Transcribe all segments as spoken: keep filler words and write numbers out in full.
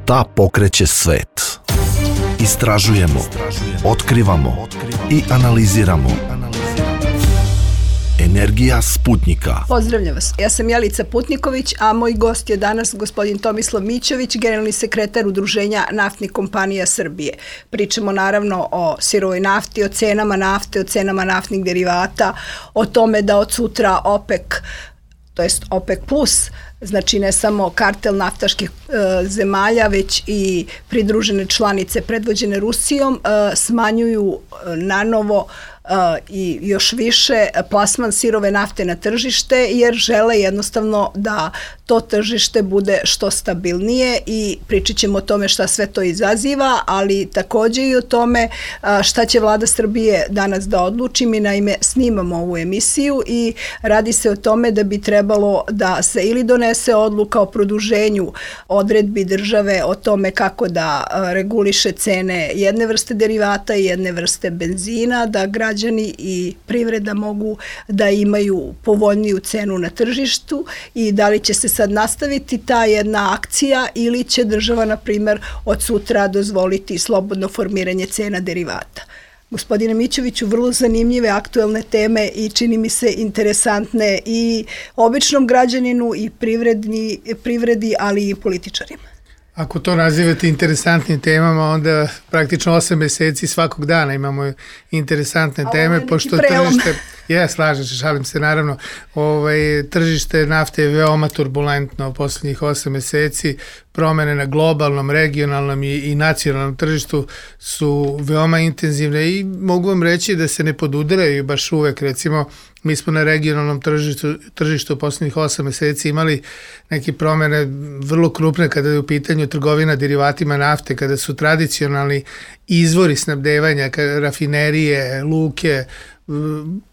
Šta pokreće svet? Istražujemo, otkrivamo i analiziramo. Energija Sputnika. Pozdravljam vas. Ja sam Jelica Putniković, a moj gost je danas gospodin Tomislav Mićović, generalni sekretar Udruženja naftnih kompanija Srbije. Pričamo naravno o sirovoj nafti, o cenama nafte, o cenama naftnih derivata, o tome da od sutra OPEC, to jest OPEC plus, znači ne samo kartel naftaških e, zemalja, već i pridružene članice predvođene Rusijom, e, smanjuju e, nanovo Uh, i još više plasman sirove nafte na tržište, jer žele jednostavno da to tržište bude što stabilnije i pričat ćemo o tome šta sve to izaziva, ali također i o tome uh, šta će vlada Srbije danas da odluči. Mi naime snimamo ovu emisiju i radi se o tome da bi trebalo da se ili donese odluka o produženju odredbi države o tome kako da uh, reguliše cene jedne vrste derivata i jedne vrste benzina, da građani građani i privreda mogu da imaju povoljniju cenu na tržištu i da li će se sad nastaviti ta jedna akcija ili će država, na primjer, od sutra dozvoliti slobodno formiranje cena derivata. Gospodine Mićoviću, vrlo zanimljive aktuelne teme i čini mi se interesantne i običnom građaninu i privredni, privredi, ali i političarima. Ako to nazivate interesantnim temama, onda praktično osam meseci svakog dana imamo interesantne teme, pošto tržište, ja slažem se, šalim se naravno, ovaj, tržište nafte je veoma turbulentno u posljednjih osam meseci, promene na globalnom, regionalnom i, i nacionalnom tržištu su veoma intenzivne i mogu vam reći da se ne podudaraju baš uvek. Recimo, mi smo na regionalnom tržištu, tržištu u posljednjih osam meseci imali neke promene vrlo krupne kada je u pitanju trgovina derivatima nafte, kada su tradicionalni izvori snabdevanja, rafinerije, luke,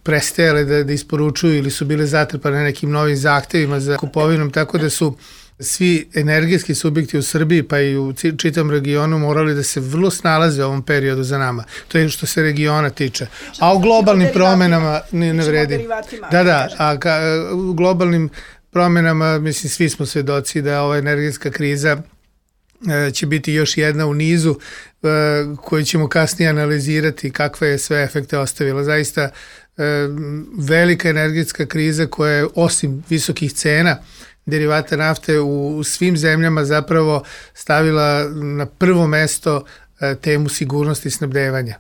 prestajale da, da isporučuju ili su bile zatrpane nekim novim zahtevima za kupovinom, tako da su svi energetski subjekti u Srbiji pa i u čitom regionu morali da se vrlo snalaze u ovom periodu za nama. To je što se regiona tiče. A u globalnim promenama ne, ne vredi. Da, da, a ka, u globalnim promenama, mislim, svi smo svedoci da ova energetska kriza e, će biti još jedna u nizu e, koju ćemo kasnije analizirati kakve je sve efekte ostavila. Zaista e, velika energetska kriza koja je osim visokih cena derivata nafte u svim zemljama zapravo stavila na prvo mesto temu sigurnosti snabdevanja.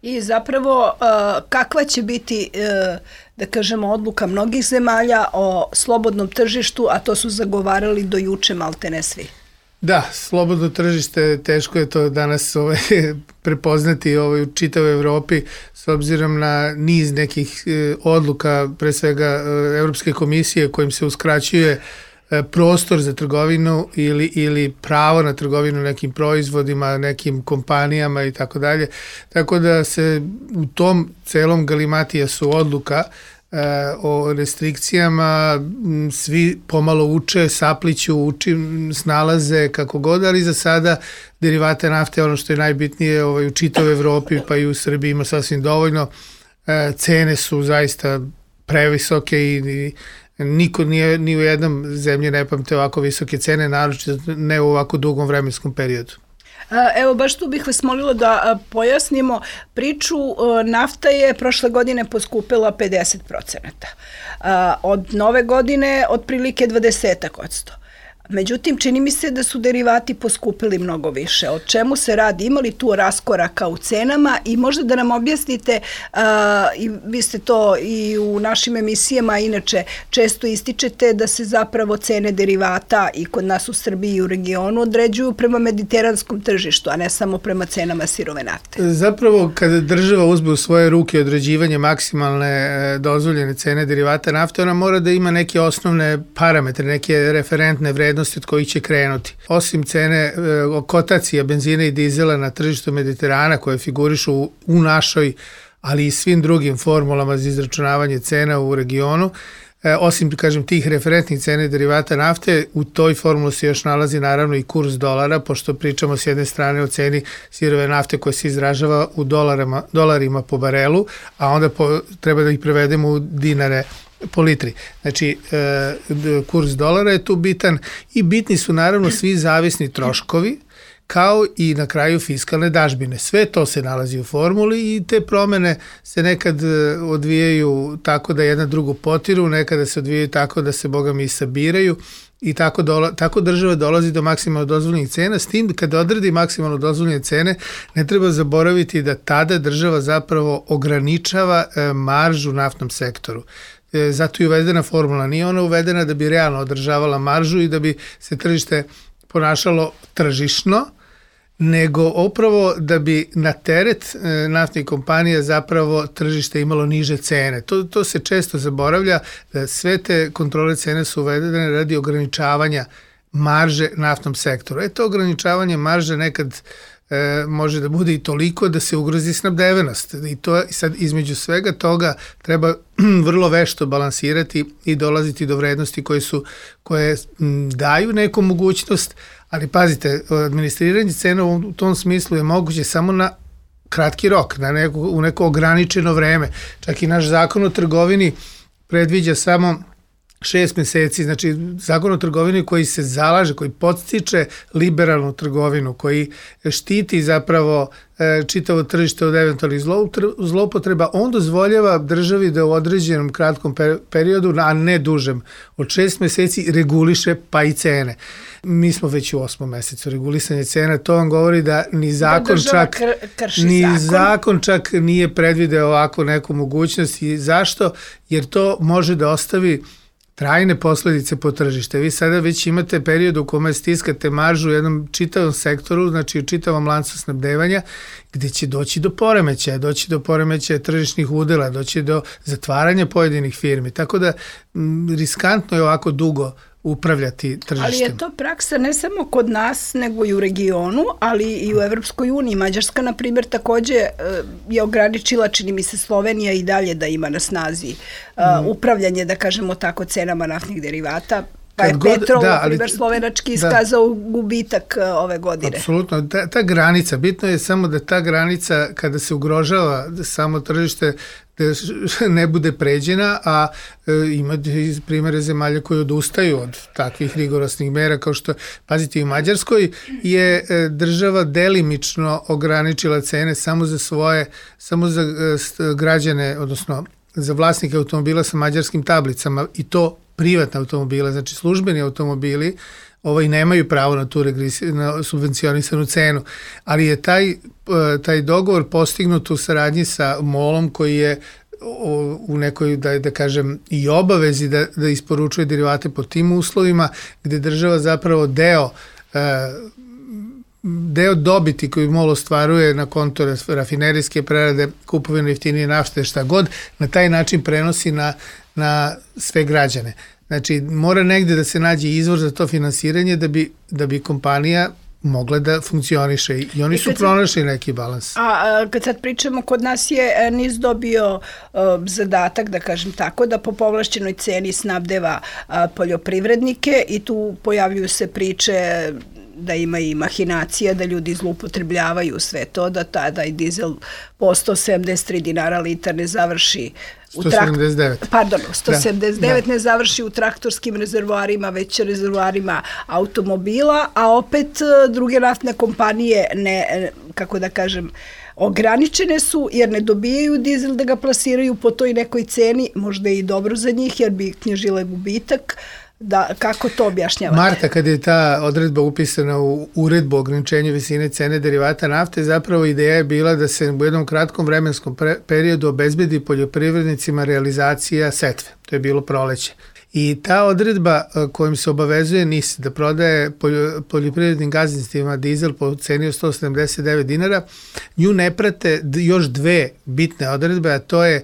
I zapravo kakva će biti, da kažemo, odluka mnogih zemalja o slobodnom tržištu, a to su zagovarali do juče maltene svi? Da, slobodno tržište, teško je to danas ovaj, prepoznati ovaj, u čitavoj Evropi s obzirom na niz nekih eh, odluka, pre svega eh, Evropske komisije kojim se uskraćuje eh, prostor za trgovinu ili, ili pravo na trgovinu nekim proizvodima, nekim kompanijama i tako dalje. Tako da se u tom celom galimatijasu odluka o restrikcijama svi pomalo uče, sapliću, uči, snalaze kako god, ali za sada derivate nafte, ono što je najbitnije ovaj, u čitavoj Evropi pa i u Srbiji ima sasvim dovoljno. Cene su zaista previsoke i, i niko nije, ni u jednom zemlji ne pamte ovako visoke cene, naročito ne u ovako dugom vremenskom periodu. Evo, baš tu bih vas molila da pojasnimo priču. Nafta je prošle godine poskupila pedeset procenata. Od nove godine otprilike dvadeset posto. Međutim, čini mi se da su derivati poskupili mnogo više. O čemu se radi? Ima li tu raskoraka u cenama? I možda da nam objasnite, uh, i vi ste to i u našim emisijama inače često ističete, da se zapravo cene derivata i kod nas u Srbiji i u regionu određuju prema mediteranskom tržištu, a ne samo prema cenama sirove nafte. Zapravo, kada država uzme u svoje ruke određivanje maksimalne dozvoljene cene derivata nafte, ona mora da ima neke osnovne parametre, neke referentne vrednosti od kojih će krenuti. Osim cene e, kotacija benzina i dizela na tržištu Mediterana koje figurišu u, u našoj, ali i svim drugim formulama za izračunavanje cena u regionu, e, osim, kažem, tih referentnih cene derivata nafte, u toj formuli se još nalazi naravno i kurs dolara, pošto pričamo s jedne strane o ceni sirove nafte koja se izražava u dolarima, dolarima po barelu, a onda po, treba da ih prevedemo u dinare po litri. Znači, kurs dolara je tu bitan i bitni su naravno svi zavisni troškovi, kao i na kraju fiskalne dažbine. Sve to se nalazi u formuli i te promene se nekad odvijaju tako da jedna drugu potiru, nekada se odvijaju tako da se, boga mi, sabiraju i tako, dola, tako država dolazi do maksimalno dozvoljenih cena, s tim kada odredi maksimalno dozvoljene cene, ne treba zaboraviti da tada država zapravo ograničava e, maržu u naftnom sektoru. E, zato je uvedena formula. Nije ona uvedena da bi realno održavala maržu i da bi se tržište ponašalo tržišno, nego upravo da bi na teret e, naftnih kompanija zapravo tržište imalo niže cene. To, to se često zaboravlja, da sve te kontrole cene su uvedene radi ograničavanja marže naftnom sektoru. E to ograničavanje marže nekad e, može da bude i toliko da se ugrozi snabdevenost. I to sad između svega toga treba vrlo vešto balansirati i dolaziti do vrednosti koje su, koje m, daju neku mogućnost. Ali pazite, administriranje cena u tom smislu je moguće samo na kratki rok, na neko, u neko ograničeno vreme. Čak i naš zakon o trgovini predviđa samo šest meseci, znači zakon o trgovini koji se zalaže, koji podstiče liberalnu trgovinu, koji štiti zapravo e, čitavo tržište od eventualnih zloupotreba, on dozvoljava državi da u određenom kratkom periodu, a ne dužem, od šest meseci reguliše pa i cene. Mi smo već u osmom mesecu regulisanje cena, to vam govori da ni zakon da čak kr- ni zakon. zakon čak nije predvideo ovako neku mogućnost. I zašto? Jer to može da ostavi trajne posledice po tržište. Vi sada već imate period u kome stiskate maržu u jednom čitavom sektoru, znači u čitavom lancu snabdevanja, gde će doći do poremećaja, doći do poremećaja tržišnih udela, doći do zatvaranja pojedinih firmi. Tako da m, riskantno je ovako dugo upravljati tržištem. Ali je to praksa ne samo kod nas, nego i u regionu, ali i u Evropskoj uniji. Mađarska, na primjer, takođe je ograničila, čini mi se, Slovenija i dalje da ima na snazi uh, mm. upravljanje, da kažemo tako, cenama naftnih derivata. Pa je god, Petrol, da, na primjer, slovenački iskazao da, gubitak uh, ove godine. Apsolutno. Ta, ta granica, bitno je samo da ta granica, kada se ugrožava samo tržište, da ne bude pređena, a e, ima primere zemalja koji odustaju od takvih rigorosnih mera, kao što, pazite, u Mađarskoj je e, država delimično ograničila cene samo za svoje, samo za e, građane, odnosno za vlasnike automobila sa mađarskim tablicama, i to privatne automobile, znači službeni automobili, ovaj nemaju pravo na tu regresi, na subvencionisanu cenu, ali je taj, taj dogovor postignut u saradnji sa MOL-om, koji je u nekoj, da, da kažem, i obavezi da, da isporučuje derivate po tim uslovima, gde država zapravo deo deo dobiti koji MOL ostvaruje na konto rafinerijske prerade, kupovine jeftinije nafte, šta god, na taj način prenosi na, na sve građane. Znači, mora negde da se nađe izvor za to finansiranje da bi, da bi kompanija mogla da funkcioniše, i oni I su pronašli neki balans. A, a kad sad pričamo, kod nas je NIS dobio uh, zadatak, da kažem tako, da po povlašćenoj ceni snabdeva uh, poljoprivrednike, i tu pojavljuju se priče da ima i mahinacija, da ljudi zloupotrebljavaju sve to, da tada i dizel po sto sedamdeset tri dinara litar ne završi u sto sedamdeset devet. Pardon, sto sedamdeset devet da, ne završi u traktorskim rezervoarima, već rezervoarima automobila, a opet druge naftne kompanije ne, kako da kažem, ograničene su jer ne dobijaju dizel da ga plasiraju po toj nekoj ceni, možda je i dobro za njih jer bi knjižile gubitak. Da, kako to objašnjavate? Marta, kada je ta odredba upisana u uredbu o ograničenju visine cene derivata nafte, zapravo ideja je bila da se u jednom kratkom vremenskom periodu obezbedi poljoprivrednicima realizacija setve. To je bilo proleće. I ta odredba kojim se obavezuje NIS da prodaje poljoprivrednim gazdinstvima dizel po ceni od sto sedamdeset devet dinara, nju ne prate još dve bitne odredbe, a to je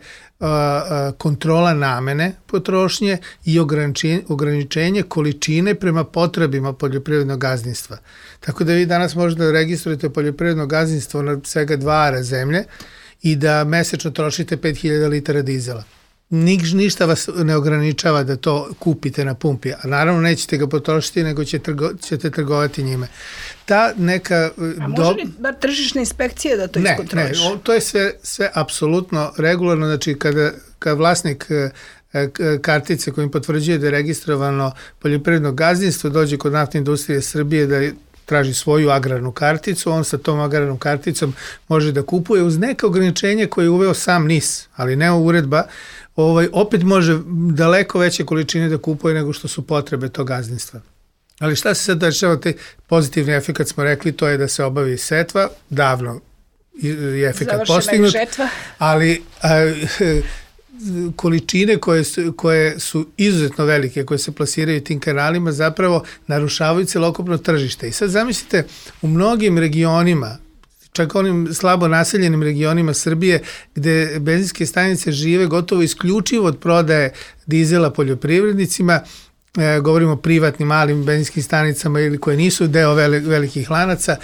kontrola namene potrošnje i ograničenje, ograničenje količine prema potrebima poljoprivrednog gazdinstva. Tako da vi danas možete da registrujete poljoprivredno gazdinstvo na svega dva ara zemlje i da mesečno trošite pet hiljada litara dizela. Niš, ništa vas ne ograničava da to kupite na pumpi, a naravno nećete ga potrošiti, nego će trgo, ćete trgovati njime. Ta neka... A može li bar tržišna inspekcija da to iskontroliš? Ne, ne, to je sve, sve apsolutno regularno, znači kada, kada vlasnik e, kartice kojim potvrđuje da je registrovano poljoprivredno gazdinstvo, dođe kod Naftne industrije Srbije da traži svoju agrarnu karticu, on sa tom agrarnom karticom može da kupuje uz neke ograničenje koje je uveo sam N I S, ali ne uredba, ovaj, opet može daleko veće količine da kupuje nego što su potrebe tog gazdinstva. Ali šta se sad dešava, taj pozitivni efekt smo rekli, to je da se obavi setva, davno je efekt postignut, ali a, količine koje su, koje su izuzetno velike, koje se plasiraju tim kanalima, zapravo narušavaju celokupno tržište. I sad zamislite, u mnogim regionima, čak onim slabo naseljenim regionima Srbije, gde benzinske stanice žive gotovo isključivo od prodaje dizela poljoprivrednicima, e, govorimo o privatnim malim benzinskim stanicama ili koje nisu deo velikih lanaca,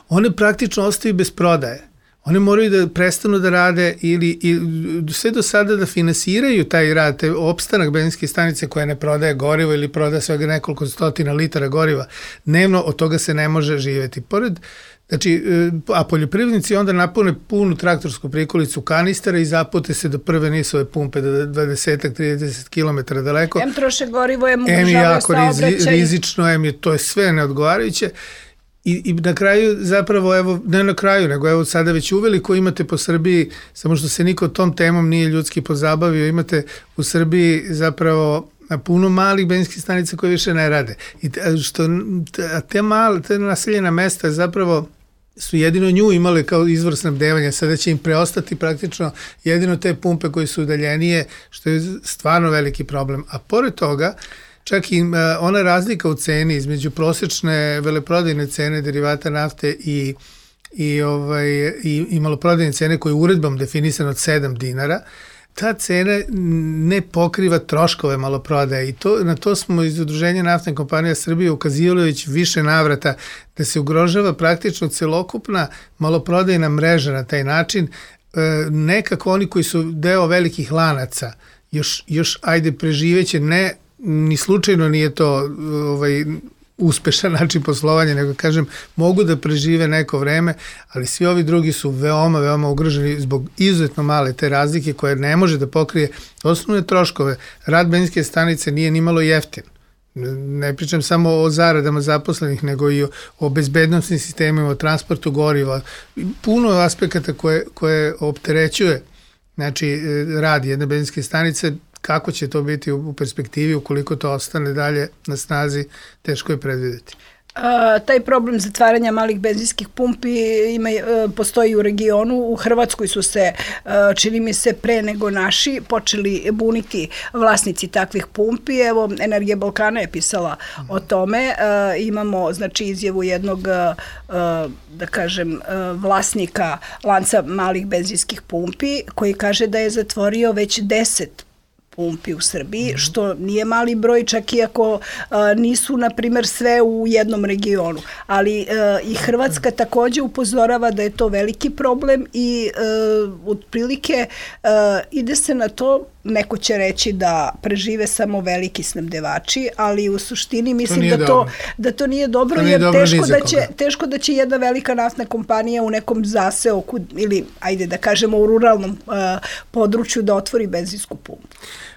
one praktično ostaju bez prodaje. One moraju da prestanu da rade ili, ili sve do sada da finansiraju taj rad, te opstanak benzinske stanice koja ne prodaje gorivo ili prodaje svega nekoliko stotina litara goriva. Dnevno od toga se ne može živeti. Pored, znači, a poljoprivrednici onda napune punu traktorsku prikolicu kanistera i zapute se do prve nisove pumpe do dvadeset do trideset kilometara daleko. Em troše gorivo, em ugrožavaju saobraćaj. Em je jako rizično, em je to je sve neodgovarajuće. I, I na kraju zapravo, evo, ne na kraju, nego evo sada već uveliko imate po Srbiji, samo što se niko tom temom nije ljudski pozabavio, imate u Srbiji zapravo puno malih benzinskih stanica koje više ne rade. I te, što, a te male, te naseljena mesta zapravo su jedino nju imale kao izvor snabdevanja, sada će im preostati praktično jedino te pumpe koje su udaljenije, što je stvarno veliki problem. A pored toga, čak i ona razlika u ceni između prosečne veleprodajne cene derivata nafte i, i, ovaj, i, i maloprodajne cene koje je uredbom definisano od sedam dinara, ta cena ne pokriva troškove maloprodaje i to, na to smo iz Udruženja Naftne kompanije Srbije ukazivali već više navrata da se ugrožava praktično celokupna maloprodajna mreža na taj način. E, nekako oni koji su deo velikih lanaca još, još ajde preživeće, ne ni slučajno nije to ovaj, uspešan način poslovanja, nego kažem, mogu da prežive neko vreme, ali svi ovi drugi su veoma, veoma ugroženi zbog izuzetno male te razlike koje ne može da pokrije osnovne troškove. Rad benzinske stanice nije ni malo jeftin. Ne pričam samo o zaradama zaposlenih, nego i o, o bezbednostnim sistemima, o transportu goriva. Puno aspekata koje, koje opterećuje, znači, rad jedne benzinske stanice. Kako će to biti u perspektivi, ukoliko to ostane dalje na snazi, teško je predvideti. A, taj problem zatvaranja malih benzinskih pumpi ima, postoji u regionu. U Hrvatskoj su se, čini mi se, pre nego naši počeli buniti vlasnici takvih pumpi. Evo, Energija Balkana je pisala o tome. A, imamo, znači, izjavu jednog, a, da kažem, vlasnika lanca malih benzinskih pumpi koji kaže da je zatvorio već deset pumpi u Srbiji, što nije mali broj, čak i ako a, nisu, na primjer, sve u jednom regionu. Ali a, i Hrvatska takođe upozorava da je to veliki problem i a, otprilike a, ide se na to, neko će reći da prežive samo veliki snabdevači, ali u suštini mislim to da, to, da to nije dobro, to nije jer dobro teško, da će, teško da će jedna velika naftna kompanija u nekom zaseoku ili, ajde da kažemo, u ruralnom uh, području da otvori benzinsku pumpu.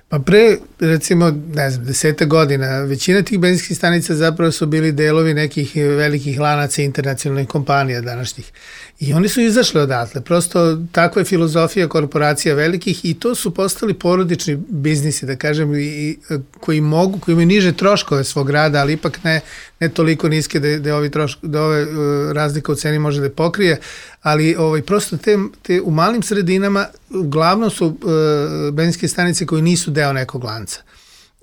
Pa pre, recimo, ne znam, deseta godina, većina tih benzinskih stanica zapravo su bili delovi nekih velikih lanaca internacionalnih kompanija današnjih. I oni su izašli odatle. Prosto takva je filozofija korporacija velikih i to su postali porodični biznisi, da kažem, i, koji mogu, koji imaju niže troškove svog rada, ali ipak ne, ne toliko niske da, da, ovi troško, da ove uh, razlika u ceni može da pokrije, ali ovaj, prosto te, te u malim sredinama uglavnom su uh, benzinske stanice koji nisu deo nekog lanca.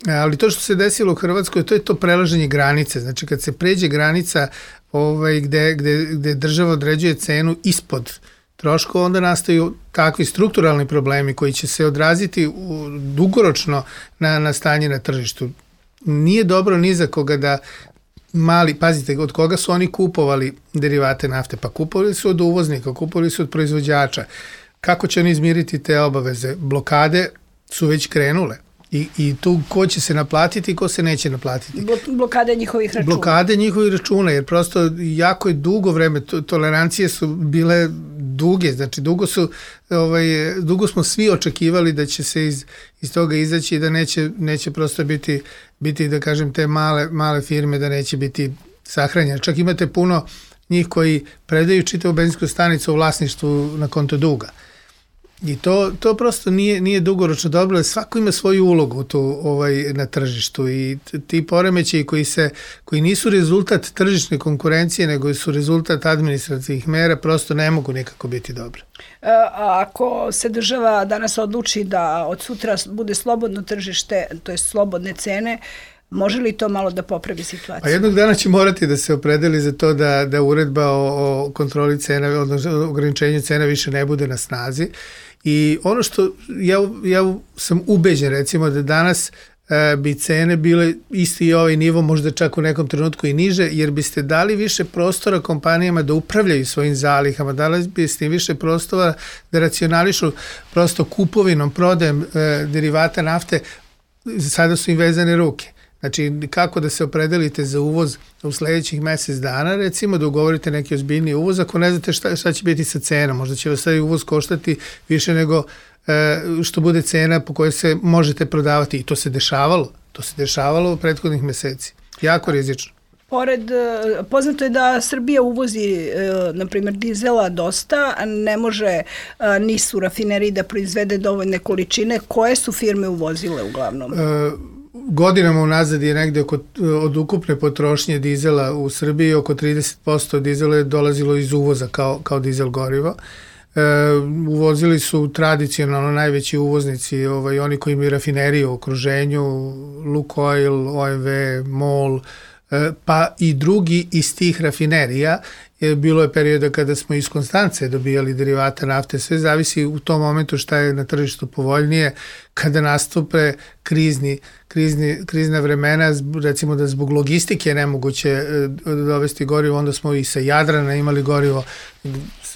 Ali to što se desilo u Hrvatskoj, to je to prelaženje granice. Znači, kad se pređe granica ovaj, gde, gde, gde država određuje cenu ispod troškova, onda nastaju takvi strukturalni problemi koji će se odraziti u, dugoročno na, na stanje na tržištu. Nije dobro ni za koga da mali, pazite, od koga su oni kupovali derivate nafte? Pa kupovali su od uvoznika, kupovali su od proizvođača. Kako će oni izmiriti te obaveze? Blokade su već krenule. I, i tu ko će se naplatiti i ko se neće naplatiti. Blokade njihovih računa. Blokade njihovih računa, jer prosto jako je dugo vreme, to, tolerancije su bile duge, znači dugo su ovaj, dugo smo svi očekivali da će se iz, iz toga izaći i da neće, neće prosto biti, biti, da kažem, te male, male firme da neće biti sahranjene. Čak imate puno njih koji predaju čitavu benzinsku stanicu u vlasništvu na konto duga. I to, to prosto nije, nije dugoročno dobro, svako ima svoju ulogu tu, ovaj, na tržištu i ti poremećaji koji, se, koji nisu rezultat tržišne konkurencije, nego su rezultat administrativnih mera, prosto ne mogu nikako biti dobre. E, ako se država danas odluči da od sutra bude slobodno tržište, to je slobodne cene, može li to malo da popravi situaciju? Pa jednog dana će morati da se opredeli za to da, da uredba o, o kontroli cena, odnosno ograničenju cena više ne bude na snazi. I ono što ja, ja sam ubeđen recimo da danas e, bi cene bile isti i ovaj nivo, možda čak u nekom trenutku i niže, jer biste dali više prostora kompanijama da upravljaju svojim zalihama, dali biste im više prostora da racionališu prosto kupovinom, prodajem e, derivata nafte, sada su im vezane ruke. Znači, kako da se opredelite za uvoz u sledećih mesec dana, recimo da ugovorite neki ozbiljni uvoz, ako ne znate šta, šta će biti sa cenom, možda će vas taj uvoz koštati više nego e, što bude cena po kojoj se možete prodavati. I to se dešavalo, to se dešavalo u prethodnih meseci. Jako rizično. Pored, poznato je da Srbija uvozi, na primjer, dizela dosta, ne može nisu rafineriji da proizvede dovoljne količine. Koje su firme uvozile uglavnom? E, Godinama unazad je negde oko, od ukupne potrošnje dizela u Srbiji oko trideset posto dizela je dolazilo iz uvoza kao, kao dizel gorivo. E, uvozili su tradicionalno najveći uvoznici, ovaj, oni koji imaju rafineriju u okruženju, Lukoil, O M V, MOL, e, pa i drugi iz tih rafinerija. Je, bilo je perioda kada smo iz Konstance dobijali derivata nafte, sve zavisi u tom momentu šta je na tržištu povoljnije, kada nastupe krizni, krizni, krizna vremena, recimo da zbog logistike je nemoguće dovesti gorivo, onda smo i sa Jadrana imali gorivo,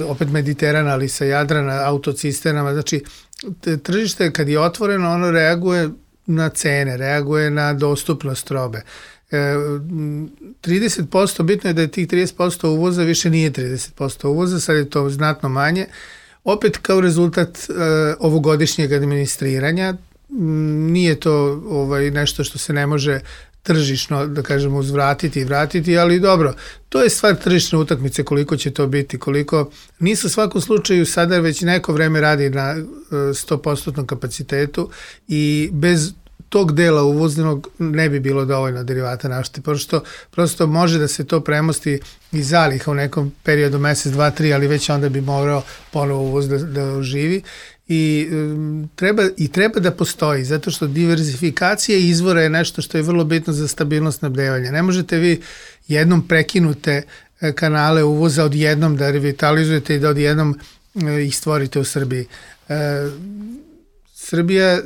opet Mediterana, ali sa Jadrana, autocisternama, znači tržište kad je otvoreno, ono reaguje na cene, reaguje na dostupnost robe. trideset posto, bitno je da je tih trideset posto uvoza više nije trideset posto uvoza, sad je to znatno manje. Opet kao rezultat uh, ovogodišnjeg administriranja, nije to ovaj, nešto što se ne može tržišno, da kažemo, uzvratiti i vratiti, ali dobro, to je stvar tržišne utakmice, koliko će to biti, koliko nisu u svakom slučaju sada već neko vreme radi na sto posto kapacitetu i bez tog dela uvoznog ne bi bilo dovoljno derivata nafte, pošto prosto može da se to premosti iz zaliha u nekom periodu mesec, dva, tri, ali već onda bi morao ponovo uvoz da, da oživi i, um, treba, i treba da postoji, zato što diverzifikacija izvora je nešto što je vrlo bitno za stabilnost snabdevanja. Ne možete vi jednom prekinute kanale uvoza odjednom da revitalizujete i da odjednom ih stvorite u Srbiji. E, Srbija,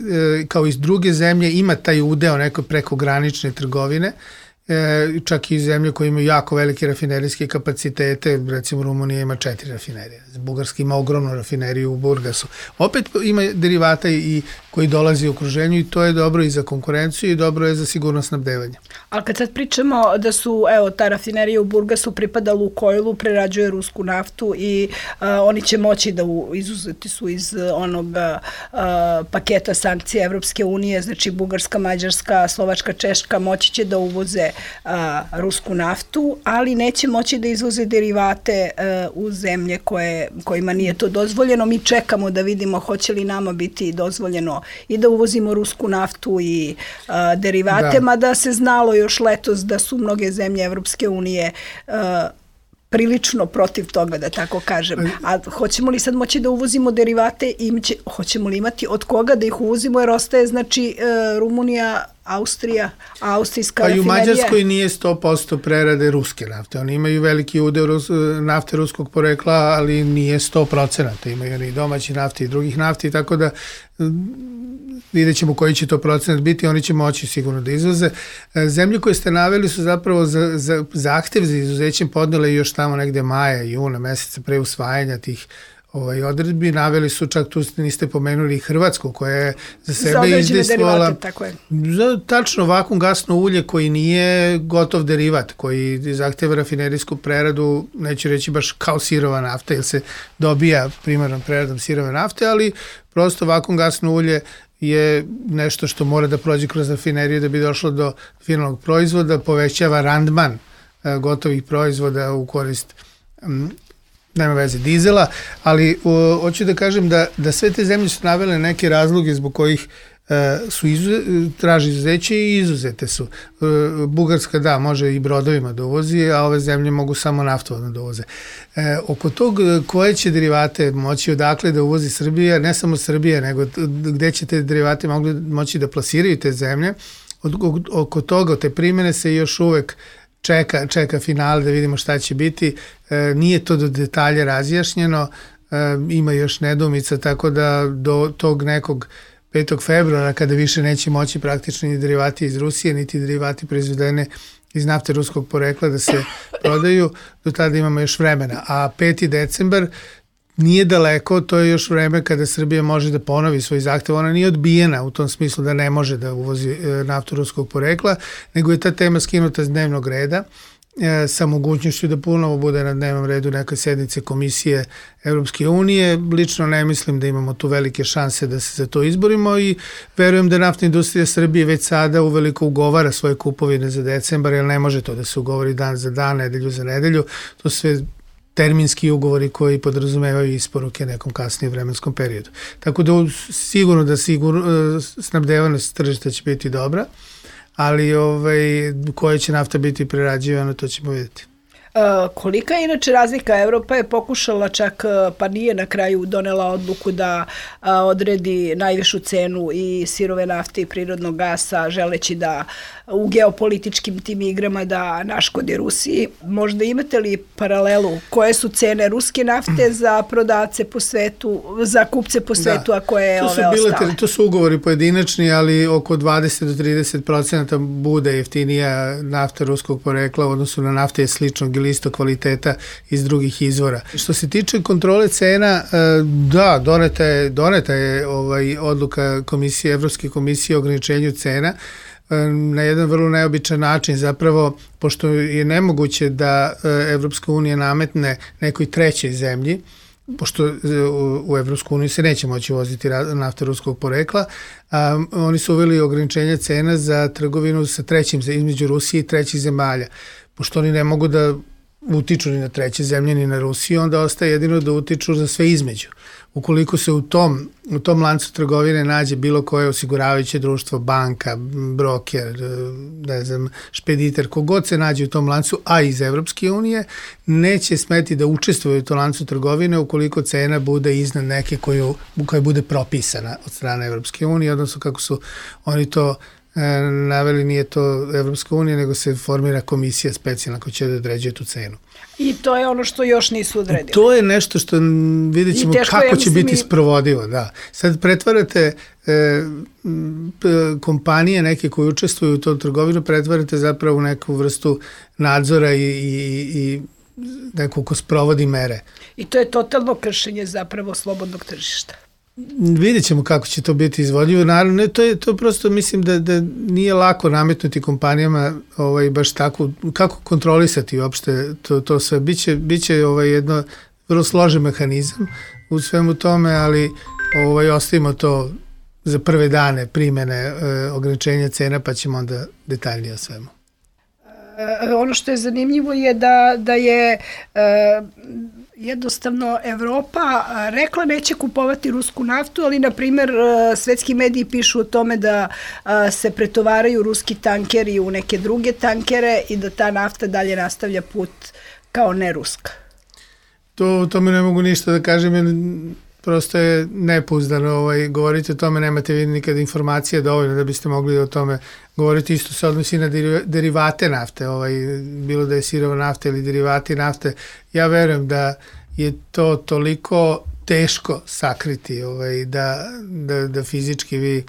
kao i druge zemlje, ima taj udeo neko prekogranične trgovine, čak i zemlje koje imaju jako velike rafinerijske kapacitete, recimo Rumunija ima četiri rafinerije, Bugarska ima ogromnu rafineriju u Burgasu. Opet ima derivata i koji dolazi u okruženju i to je dobro i za konkurenciju i dobro je za sigurnost snabdevanja. Ali kad sad pričamo da su, evo, ta rafinerija u Burgasu pripada Lukoilu, prerađuje rusku naftu i uh, oni će moći da u, izuzeti su iz onog uh, paketa sankcija Evropske unije, znači Bugarska, Mađarska, Slovačka, Češka moći će da uvoze uh, rusku naftu, ali neće moći da izvoze derivate uh, u zemlje koje, kojima nije to dozvoljeno. Mi čekamo da vidimo hoće li nama biti dozvoljeno i da uvozimo rusku naftu i uh, derivate, da. Mada se znalo još letos da su mnoge zemlje Evropske unije uh, prilično protiv toga, da tako kažem. A hoćemo li sad moći da uvozimo derivate i će, hoćemo li imati od koga da ih uvozimo, jer ostaje znači uh, Rumunija, Austrija, austrijska pa rafinerija. Pa i u Mađarskoj nije sto posto prerade ruske nafte. Oni imaju veliki udeo rus, nafte ruskog porekla, ali nije sto procenata. Imaju oni domaći nafte i drugih nafti, tako da vidjet ćemo koji će to procenat biti, oni će moći sigurno da izvoze. Zemlje koje ste naveli su zapravo za, za zahtev za izuzećem podnele još tamo negde maja, juna, meseca pre usvajanja tih ovaj, odredbi. Naveli su, čak tu niste pomenuli Hrvatsku, koja je za sebe za izdejstvovala za tačno vakuum gasno ulje koji nije gotov derivat, koji zahteva rafinerijsku preradu, neću reći baš kao sirova nafta, jer se dobija primarnom preradom sirove nafte, ali prosto vakuum gasno ulje je nešto što mora da prođe kroz rafineriju da bi došlo do finalnog proizvoda, povećava randman gotovih proizvoda u korist um, nema veze dizela, ali o, hoću da kažem da, da sve te zemlje su navele neke razloge zbog kojih e, su izuze, traži izuzeće i izuzete su. E, Bugarska da, može i brodovima da uvozi, a ove zemlje mogu samo naftovodno da uvoze. E, oko tog koje će derivate moći odakle da uvozi Srbija, ne samo Srbija, nego gde će te derivate mogli, moći da plasiraju te zemlje, od, oko toga, te primene se još uvek Čeka, čeka finale da vidimo šta će biti. E, nije to do detalja razjašnjeno, e, ima još nedoumica, tako da do tog nekog petog februara, kada više neće moći praktično ni derivati iz Rusije, niti derivati proizvedene iz nafte ruskog porekla da se prodaju, do tada imamo još vremena. A peti decembar nije daleko, to je još vreme kada Srbija može da ponovi svoj zahtev. Ona nije odbijena u tom smislu da ne može da uvozi naftu ruskog porekla, nego je ta tema skinuta s dnevnog reda e, sa mogućnošću da ponovo bude na dnevnom redu neke sednice Komisije Evropske unije. Lično ne mislim da imamo tu velike šanse da se za to izborimo i verujem da naftna industrija Srbije već sada uveliko ugovara svoje kupovine za decembar, jer ne može to da se ugovori dan za dan, nedelju za nedelju. To sve terminski ugovori koji podrazumevaju isporuke nekom kasnijem vremenskom periodu. Tako da sigurno da sigurno snabdevanost tržišta će biti dobra, ali ovaj, koja će nafta biti prerađivana, to ćemo vidjeti. Kolika je inače razlika? Evropa je pokušala čak, pa nije na kraju donela odluku da odredi najvišu cenu i sirove nafte i prirodnog gasa, želeći da u geopolitičkim tim igrama da naškodi Rusiji. Možda imate li paralelu? Koje su cene ruske nafte za prodavce po svetu, za kupce po svetu, da, a koje je ove ostale? To su ugovori pojedinačni, ali oko dvadeset do trideset procenta bude jeftinija nafta ruskog porekla u odnosu na nafte je sličnog ili isto kvaliteta iz drugih izvora. Što se tiče kontrole cena, da, doneta je, doneta je ovaj, odluka komisije, Evropske komisije o ograničenju cena na jedan vrlo neobičan način, zapravo, pošto je nemoguće da Evropska unija nametne nekoj trećoj zemlji, pošto u Evropsku uniju se neće moći voziti nafta ruskog porekla, a, oni su uveli ograničenje cena za trgovinu sa trećim, između Rusije i trećih zemalja. Pošto oni ne mogu da utiču ni na treće zemlje ni na Rusiju, onda ostaje jedino da utiču za sve između. Ukoliko se u tom, u tom lancu trgovine nađe bilo koje osiguravajuće društvo, banka, broker, ne znam, špediter, kogod se nađe u tom lancu, a iz Evropske unije, neće smeti da učestvuje u tom lancu trgovine ukoliko cena bude iznad neke koju, koja bude propisana od strane Evropske unije, odnosno kako su oni to naveli, nije to Evropska unija, nego se formira komisija specijalna koja će da određuje tu cenu. I to je ono što još nisu odredili. To je nešto što vidjet ćemo kako će biti sprovodivo. Da. Sad pretvarate e, kompanije neke koje učestvuju u tom trgovinu, pretvarate zapravo u neku vrstu nadzora i, i, i neko ko sprovodi mere. I to je totalno kršenje zapravo slobodnog tržišta. Vidjet ćemo kako će to biti izvodljivo. Naravno, to je to prosto, mislim da, da nije lako nametnuti kompanijama ovaj, baš tako, kako kontrolisati uopšte to, to sve. Biće, biće ovaj, jedno vrlo složen mehanizam u svemu tome, ali ovaj, ostavimo to za prve dane primene e, ograničenja cena, pa ćemo onda detaljnije o svemu. E, ono što je zanimljivo je da, da je e, jednostavno Evropa rekla neće kupovati rusku naftu, ali na primjer svetski mediji pišu o tome da se pretovaraju ruski tankeri u neke druge tankere i da ta nafta dalje nastavlja put kao ne ruska. To, to mi ne mogu ništa da kažem, jer prosto je nepouzdano ovaj, govoriti o tome, nemate vi nikad informacije dovoljno da biste mogli o tome govoriti. Isto se odnosi na derivate nafte, ovaj, bilo da je sirova nafta ili derivati nafte. Ja verujem da je to toliko teško sakriti, ovaj, da, da, da fizički vi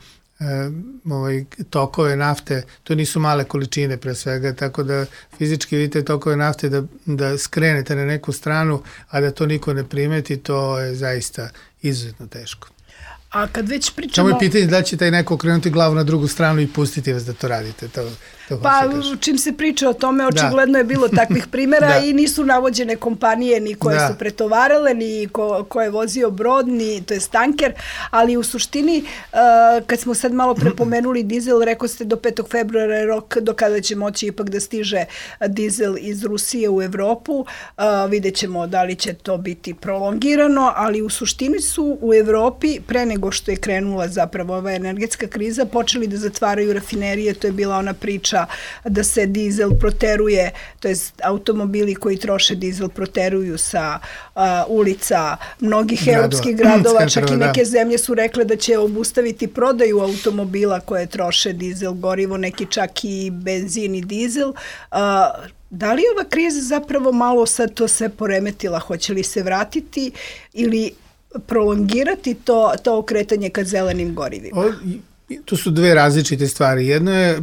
ovaj, tokove nafte, to nisu male količine pre svega, tako da fizički vidite tokove nafte da, da skrenete na neku stranu, a da to niko ne primeti, to je zaista izuzetno teško. A kad već pričamo... Samo je pitanje da će taj neko okrenuti glavu na drugu stranu i pustiti vas da to radite. To, to pa čim se priča o tome, očigledno da. je bilo takvih primjera da. i nisu navođene kompanije ni koje da. su pretovarale, ni ko, ko je vozio brod, ni to je tanker, ali u suštini uh, kad smo sad malo prepomenuli dizel, rekao ste do petog februara je rok do kada će moći ipak da stiže dizel iz Rusije u Evropu. Uh, vidjet ćemo da li će to biti prolongirano, ali u suštini su u Evropi pre nego što je krenula zapravo ova energetska kriza, počeli da zatvaraju rafinerije, to je bila ona priča da se dizel proteruje, to je automobili koji troše dizel proteruju sa uh, ulica mnogih gradova. europskih gradova, čak i neke da. zemlje su rekle da će obustaviti prodaju automobila koje troše dizel gorivo, neki čak i benzin i dizel. Uh, Da li ova kriza zapravo malo sad to sve poremetila? Hoće li se vratiti ili prolongirati to, to okretanje ka zelenim gorivima? O, to su dve različite stvari. Jedno je e,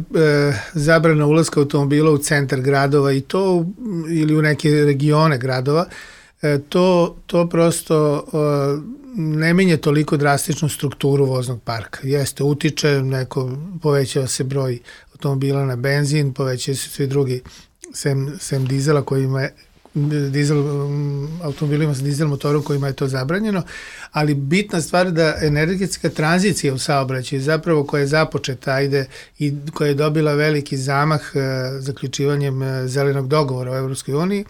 zabrana ulaska automobila u centar gradova i to ili u neke regione gradova. E, to, to prosto e, ne menja toliko drastičnu strukturu voznog parka. Jeste, utiče, neko, povećava se broj automobila na benzin, povećaju se svi drugi sem, sem dizela kojima je dizel, automobilima sa dizel motorom kojima je to zabranjeno, ali bitna stvar da energetska tranzicija u saobraćaju zapravo koja je započeta ajde, i koja je dobila veliki zamah e, zaključivanjem e, zelenog dogovora u Evropskoj uniji,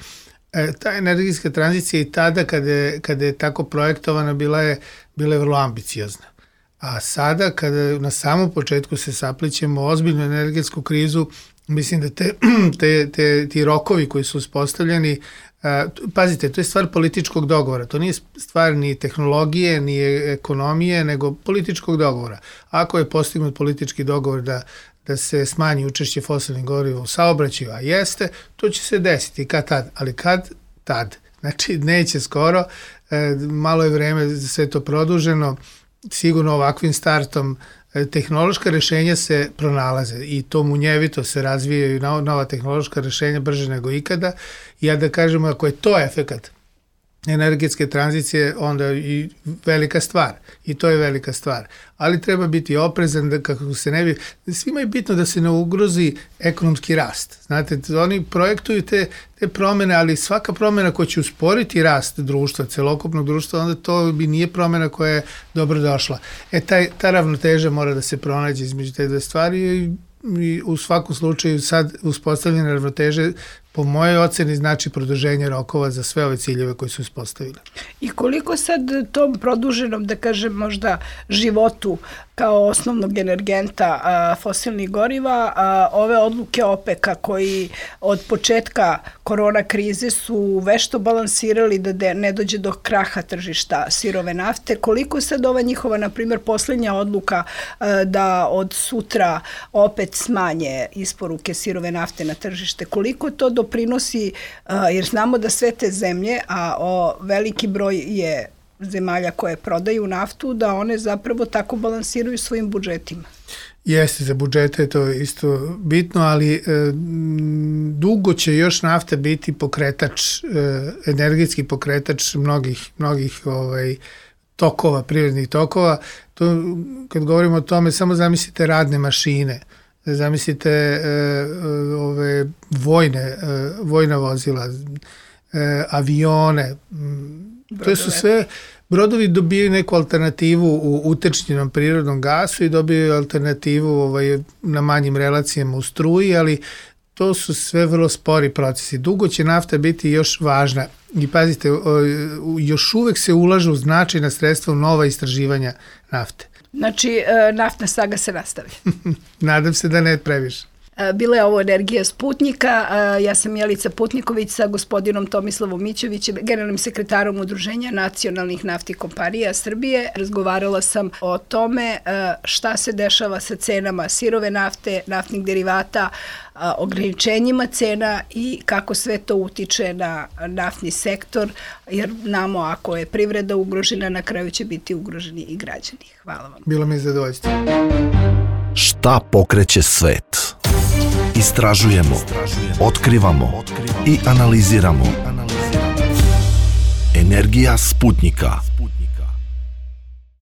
e, ta energetska tranzicija i tada kada je, kada je tako projektovana bila je, bila je vrlo ambiciozna. A sada kada na samom početku se saplićemo ozbiljnu energetsku krizu, mislim da te, te, te, ti rokovi koji su uspostavljeni, a, pazite, to je stvar političkog dogovora, to nije stvar ni tehnologije, ni ekonomije, nego političkog dogovora. Ako je postignut politički dogovor da, da se smanji učešće fosilnih goriva u saobraćaju, a jeste, to će se desiti kad tad, ali kad tad, znači neće skoro, e, malo je vreme za sve to produženo, sigurno ovakvim startom tehnološka rešenja se pronalaze i to munjevito se razvijaju nova tehnološka rešenja brže nego ikada. I ja da kažemo, ako je to efekat energetske tranzicije, onda i velika stvar. I to je velika stvar. Ali treba biti oprezan da kako se ne bi... Svima je bitno da se ne ugrozi ekonomski rast. Znate, oni projektuju te, te promene, ali svaka promena koja će usporiti rast društva, celokupnog društva, onda to bi nije promena koja je dobro došla. E, taj, ta ravnoteža mora da se pronađe između te dve stvari i, i u svakom slučaju sad uspostavljene ravnoteže po mojoj oceni znači produženje rokova za sve ove ciljeve koji su uspostavili. I koliko sad tom produženom, da kažem, možda životu kao osnovnog energenta a, fosilnih goriva, a, ove odluke OPEC-a koji od početka korona krize su vešto balansirali da de, ne dođe do kraha tržišta sirove nafte, koliko sad ova njihova, na primjer, posljednja odluka a, da od sutra opet smanje isporuke sirove nafte na tržište, koliko to doprinosi, a, jer znamo da sve te zemlje, a o, veliki broj je zemalja koje prodaju naftu, da one zapravo tako balansiraju svojim budžetima. Jeste, za budžete je to isto bitno, ali e, dugo će još nafta biti pokretač, e, energetski pokretač mnogih, mnogih ovaj, tokova, privrednih tokova. To, kad govorimo o tome, samo zamislite radne mašine, zamislite e, ove vojne, e, vojna vozila, e, avione, to su sve, brodovi dobijaju neku alternativu u utečnjenom prirodnom gasu i dobijaju alternativu ovaj, na manjim relacijama u struji, ali to su sve vrlo spori procesi. Dugo će nafta biti još važna i pazite, još uvek se ulažu značajna sredstva u nova istraživanja nafte. Znači, naftna saga se nastavlja. Nadam se da ne previše. Bila je ovo Energija Sputnika. Ja sam Jelica Putniković sa gospodinom Tomislavom Mićevićem, generalnim sekretarom Udruženja nacionalnih naftnih kompanija Srbije. Razgovarala sam o tome šta se dešava sa cenama sirove nafte, naftnih derivata, ograničenjima cena i kako sve to utiče na naftni sektor, jer namo ako je privreda ugrožena, na kraju će biti ugroženi i građani. Hvala vam. Bilo mi je zadovoljstvo. Šta pokreće svet? Istražujemo, otkrivamo i analiziramo. Energija Sputnika.